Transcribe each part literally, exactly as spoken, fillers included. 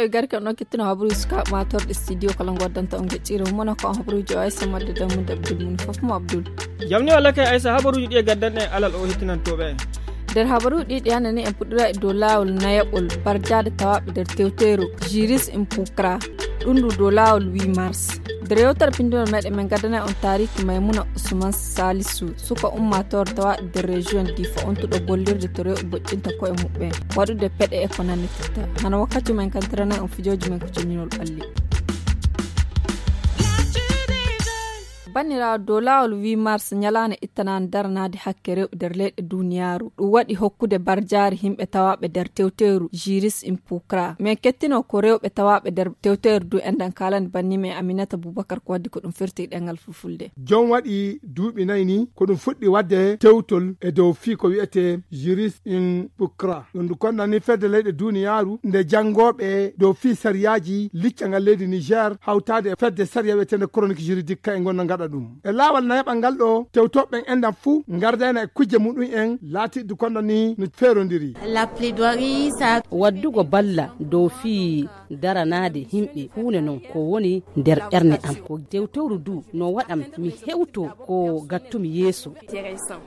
Gari kan ɗon kettino habaruuji sukaaɓe maatorɗe studio kala ngoddanta on geccire mum, wona ko on habaruuji o Aysa Madde Dammude Abdul mum fof mo Abdul. Jam ni walla kay Aysa, habaruuji ɗi e gaddanɗe en alal o hettinantooɓe en. Nder habaruuji ɗi ɗi hannde ni en puɗɗira e dow laawol nayaɓol barjaade tawaaɓe nder tewteeru Jiris Impukra. Ɗum ndu dow laawol huit mars. Nder yewtere pinndinol meɗen men gaddana on taariki Maymuna Usman Salisu, suka ummaatoore tawaaɗo nder région Difa, ontuɗo gollirde to rewɓe boƴƴinta koye muɓɓen, waɗude peɗe e ko nannitirta. Hano wakkati men kantirana on fijooji men ko cinninol ɓalli. Banniraawo dow laawol huit mars, ñalaande ittanaande daranaade hakke rewɓe nder leyɗe duniyaaru. Ɗum waɗi hokkude barjaari yimɓe tawaaɓe nder tewteeru Jiris Impukra. Men kettino ko rewɓe tawaaɓe nder tewteeru du enɗan kaalani banni men Aminata Bubakar ko waddi ko ɗum firti ɗemngal fulfulde. Jom waɗi duuɓi nayi ni ko ɗum fuɗɗi waɗde tewtol e dow fii ko wiyetee Jiris Impukra. Ɗum ndu konnani fedde leyɗe duniyaaru nde janngooɓe dow fii sariyaaji liccangal leydi Niger hawtaade e fedde sariya wiyeteende chronique juridique ka e ngonna ngaɗa ɗum. E laawol nayaɓal ngal ɗo, tewtooɓe ɓen enɗan fuu ngardayna e kujje muɗum en laatiiɗi kondo ni no feerondiri. La plaidoirie, ça. Waddugo balla dow fii daranaade yimɓe huunde non ko woni nder ɓernde am. Ko tewtowru du no waɗam mi hewto ko gattumi yeeso.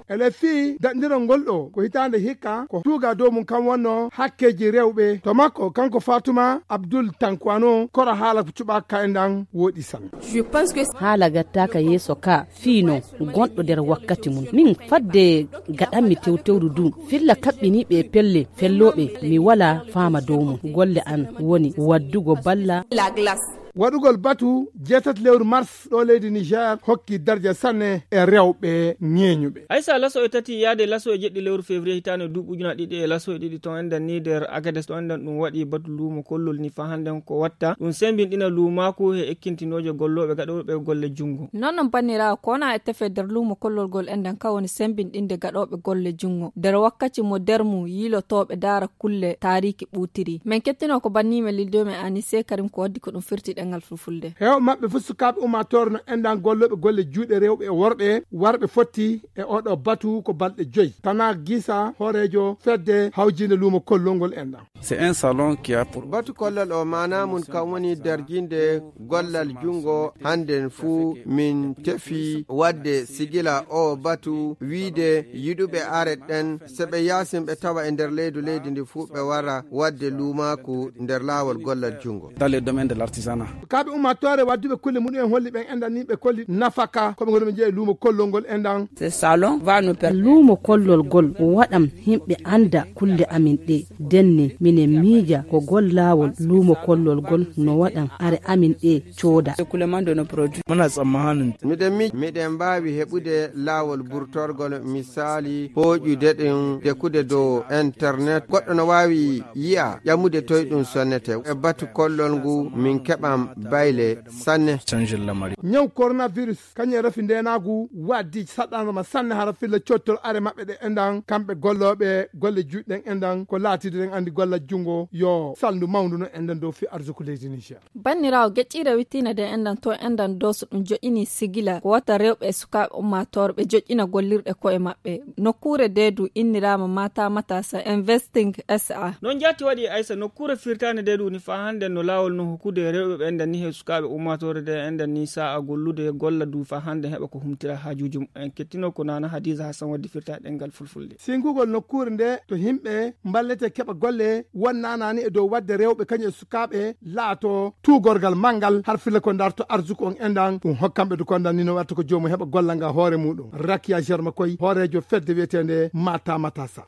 Ele fii daɗndirol ngol ɗo ko hitaande hikka ko tuuga dow mum kam wonno hakkeeji rewɓe. To makko kanko Fatuma Abdul Tankwano koro haala ko cuɓaaka enɗan wooɗi sanne. Je pense que haala gattaaka yeeso ka fii no gonɗo nder wakkati mum. Min fadde gaɗanmi tewtewru du filla kaɓɓiniiɓe e pelle fellooɓe mi walaa faama dow mum. Golle an woni waddugo balla. La glace. Waɗugol batu jeetati lewru mars ɗo leydi Niger hokki darja sanne e rewɓe ŋeeñuɓe. Aysa, laso e tati yaade laso e jeɗɗi lewru février hitaande duuɓi ujunaaji ɗiɗi e laso e ɗiɗi ton enɗan ni nder Agades ɗo enɗan ɗum waɗi batu luumo kollol ni fa hannden ko watta ɗum sembinɗina luumaaku e ekkintinooje gollooɓe gaɗooɓe golle junngo. Non non banniraawo, ko wona e tefe nder luumo kollol ngol enɗan ka woni sembinɗinde gaɗooɓe golle junngo nder wakkati mo nder mum yiilotooɓe ndaara kulle taariiki ɓuutiri. Men kettino ko banniimen lildomen Anise Karim ko waddi ko ɗum firti ɗemngal fulfulde. Heewɓe maɓɓe fof sukaaɓe ummaatoore no enɗan gollooɓe golle juuɗe rewɓe e worɓe warɓe fotti e oɗo batu ko balɗe joyi. Tana Gisa, hooreejo fedde hawjiinde luumo kollol ngol enɗan. C'est un salon qui a pour batu kollol o maanaa mum kam woni darjinde gollal junngo. Hannden fuu min tefi waɗde sigila o batu wiide yiɗuɓe aret ɗen, so ɓe yaasin ɓe tawa e nder leydu leydi ndi fuu ɓe wara waɗde luumaaku nder laawol gollal junngo. Dans le domaine de l'artisanat. Sukaaɓe ummaatoore wadduɓe kulle muɗum en holli ɓen enɗan ni ɓe kolli nafaka ko ɓe ngoni ɓe jeeya luumo kollol ngol enɗan. Ce salon va nous permettre. Luumo kollol ngol waɗam yimɓe annda kulle amin ɗe. Denne minen miija ko gollawol luumo kollol ngol no waɗam are amin ɗe cooda. Écoulement de nos produits. Muna tsammanin. Miɗen miija miɗen mbaawi heɓude laawol burtorgol, misaali hooƴude ɗum dekude dow internet. Goɗɗo no waawi yi'a ƴamude toy ɗum sonnete. E batu kollol ngu min keɓan bayle sanne. Canjin lamari. Ñaw coronavirus kañum e rafi ndeenaagu waddi saɗɗanama sanne hara filla cottol are maɓɓe ɗe enɗan kamɓe gollooɓe golle juuɗe ɗen enɗan ko laatide ɗen anndi gollal junngo yo salndu mawndu no enɗan dow fi arsuku leydi Niger. Banniraawo, geƴƴiire wittiinde nde enɗan to enɗan dow so ɗum joƴƴini sigila ko wata rewɓe e sukaaɓe ummaatoore ɓe joƴƴina gollirɗe koye maɓɓe. Nokkuure nde du inniraama Mata Matasa Investing S A. Noon jaati waɗi Aysa, nokkuure firtaande nde du ni faa hannde no laawol no hokkude rewɓe ɓe enɗan ni he sukaaɓe ummaatoore nde enɗan ni sa'a gollude golla du faa hannde heɓa ko humtira haajuuji mumen. Kettino ko Nana Hadiza Hassan waddi firtaade ɗemngal fulfulde. Singugol nokkuure nde to yimɓe mballete keɓa golle won nanani e dow waɗde rewɓe kañum e sukaaɓe laato tuugorgal manngal har filla ko darto arsuku on enɗan ɗum hokkamɓe du kondan ni no watta ko joomum heɓa gollal ngal hoore muɗum. Rakiya Germa koy hooreejo fedde wiyeteende Mata Matasa.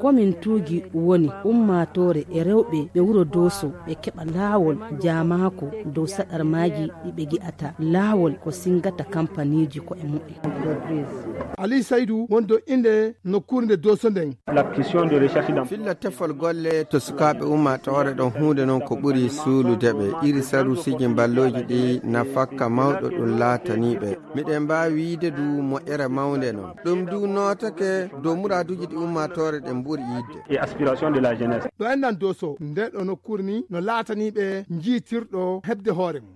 Komin tuugi woni ummaatoore e rewɓe ɓe wuro Dooso ɓe keɓa laawol jaamaako dow saɗarmaaji ɗi ɓe gi'ata laawol ko singata kampaniiji ko'e muɓɓen. Ali Saydu wonɗo innde nokkuure nde Dooso nden. Filla tefol golle to sukaaɓe ummaatoore ɗon huunde non ko ɓuri suulude ɓe. Iri sarusiiji mballooji ɗi nafakka mawɗo ɗum laatanii ɓe. Miɗen mbaawi wiyde du moƴƴere mawnde non. Ɗum du nootake dow muraaduuji ɗi ummaatoore ɗen mburi yiɗde. Et aspiration de la jeunesse. Ɗo enɗan Dooso, nde ɗo nokkuure ni no laatanii ɓe njiitirɗo heɓde hoore mum.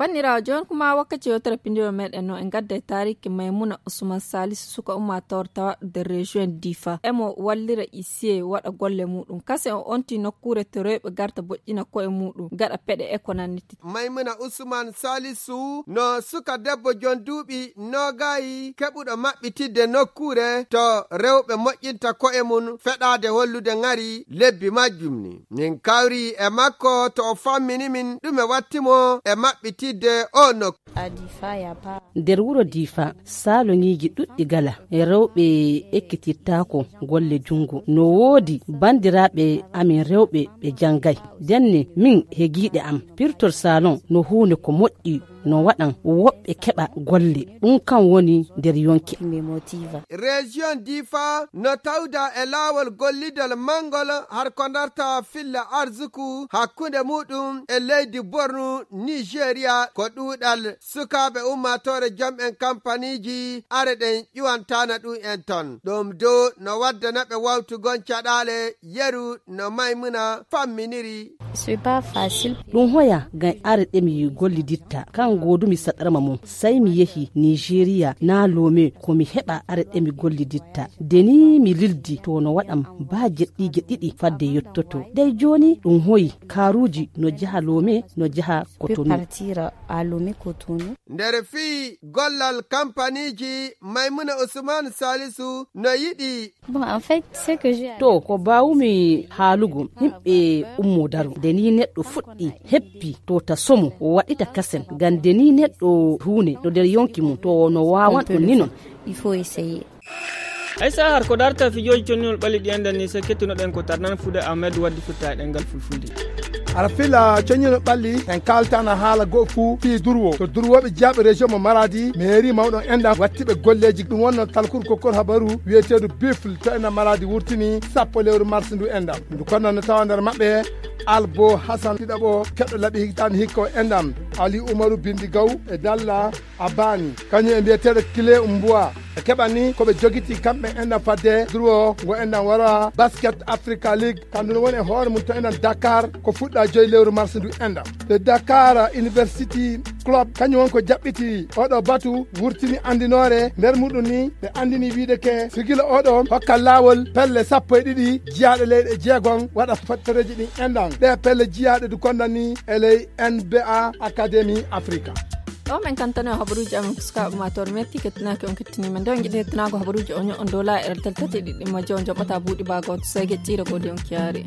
Banndiraawo, jooni kuma wakkati yewtere pinndiro meɗen no en gadda e taariki Maymuna Usman Salisu, suka ummaatoore tawaɗo nder région Difa. Emo wallira isiye waɗa golle muɗum. Kase o onti nokkuure to rewɓe garta boƴƴina koye muɗum, gaɗa peɗe e ko nanniti. Maymuna Usman Salisu no suka debbo jon duuɓi noogayi keɓuɗo maɓɓitidde nokkuure to rewɓe moƴƴinta koye mum feɗaade hollude ŋari lebbi majjum ni. Min kawri e makko to o fammini min ɗume watti mo e maɓɓitidde o nokku. Nder wuro Difa, saloŋiiji ɗuɗɗi gala, e rewɓe ekkitirtaako golle junngo. No woodi banndiraaɓe amin rewɓe ɓe janngay. Ndenne min hegiiɗe am, pirtol salon no huunde ko moƴƴi, no waɗan woɓɓe keɓa golle. Ɗum kan woni nder yonki. Région Difa no tawda e laawol gollidal manngol har ko darta filla arzuku hakkunde muɗum e leydi Borno, Nigeria, ko ɗuuɗal sukaaɓe ummaatoore jom en kampaniiji are ɗen ƴuwantaana ɗum en ton. Ɗum dow no waddana ɓe wawtugol caɗaale yeru no Maymuna famminiri. Ɗum hoya ngam are ɗe mi golliditta, kan goodumi saɗarma mum. Sey mi yehi Nigeria naa Lome ko mi heɓa are ɗe mi golliditta. Nde ni mi lildi to no waɗam baa jeɗɗiije ɗiɗi fadde yottoto. Dey jooni ɗum hoyi kaaruuji no jaha Lome, no jaha Kotonu. Nder fii gollal kampaniiji, Maymuna Usman Salisu no yiɗi. To ko mbaawumi haalugo, yimɓe ummo daro. Nde ni neɗɗo fuɗɗi heppi to ta somo o waɗita kasen. Ngam nde ni neɗɗo huune no nder yonki mum to no waawan ɗum ni non. Hay so har ko darta fijooji connol ɓalli ɗi enɗan ni, so kettunoɗen ko tarnan Fuuda Ahmed waddi firta e ɗemngal fulfulde. Hara fila coññino ɓalli en kaaltana haala goo fuu fii durwo to durwooɓe jiyaaɓe région mo Maradi, mairie mawɗo enɗam wattiɓe golleeji. Ɗum wonno talkuru kokkol habaru wiyeteedu Bifle to enɗam Maradi wurtini sappo lewru mars ndu enɗam. Ndu konno no tawa nder maɓɓe Albo Hassan ɗiɗaɓo keɗɗo laɓi hitaande hikka o enɗam, Ali Umaru Bindi Gaw e Dalla Abani, kañum e mbiyeteeɗo Kile Mbuwa. Ɓe keɓani ko ɓe jogiti kamɓe enɗam fadde durwo ngo enɗam wara Basket Africa League. Kandu no woni e hoore mum to enɗam Dakar ko fuɗɗa joyi lewru mars ndu enɗam. Ɓe Dakar University Club kañum won ko jaɓɓiti oɗo batu wurtini andinoore nder muɗum ni ɓe andini wiide ke sigila oɗo hokka laawol pelle sappo e ɗiɗi jiyaaɗe leyɗe jeegom waɗa fottoreeji ɗin enɗam. Ɗe pelle jiyaaɗe du kondani e ley N B A Academy Africa. Ɗo men kantano e habaruuji amen ko sukaaɓe ummaatoore metti kettinaaki on kettinii men. Nde on njiɗi hettinaago habaruuji on, on dow laa'ere teltati ɗiɗi majje on joɓata buuɗi baago on to seege tiire goodi on kiyaari.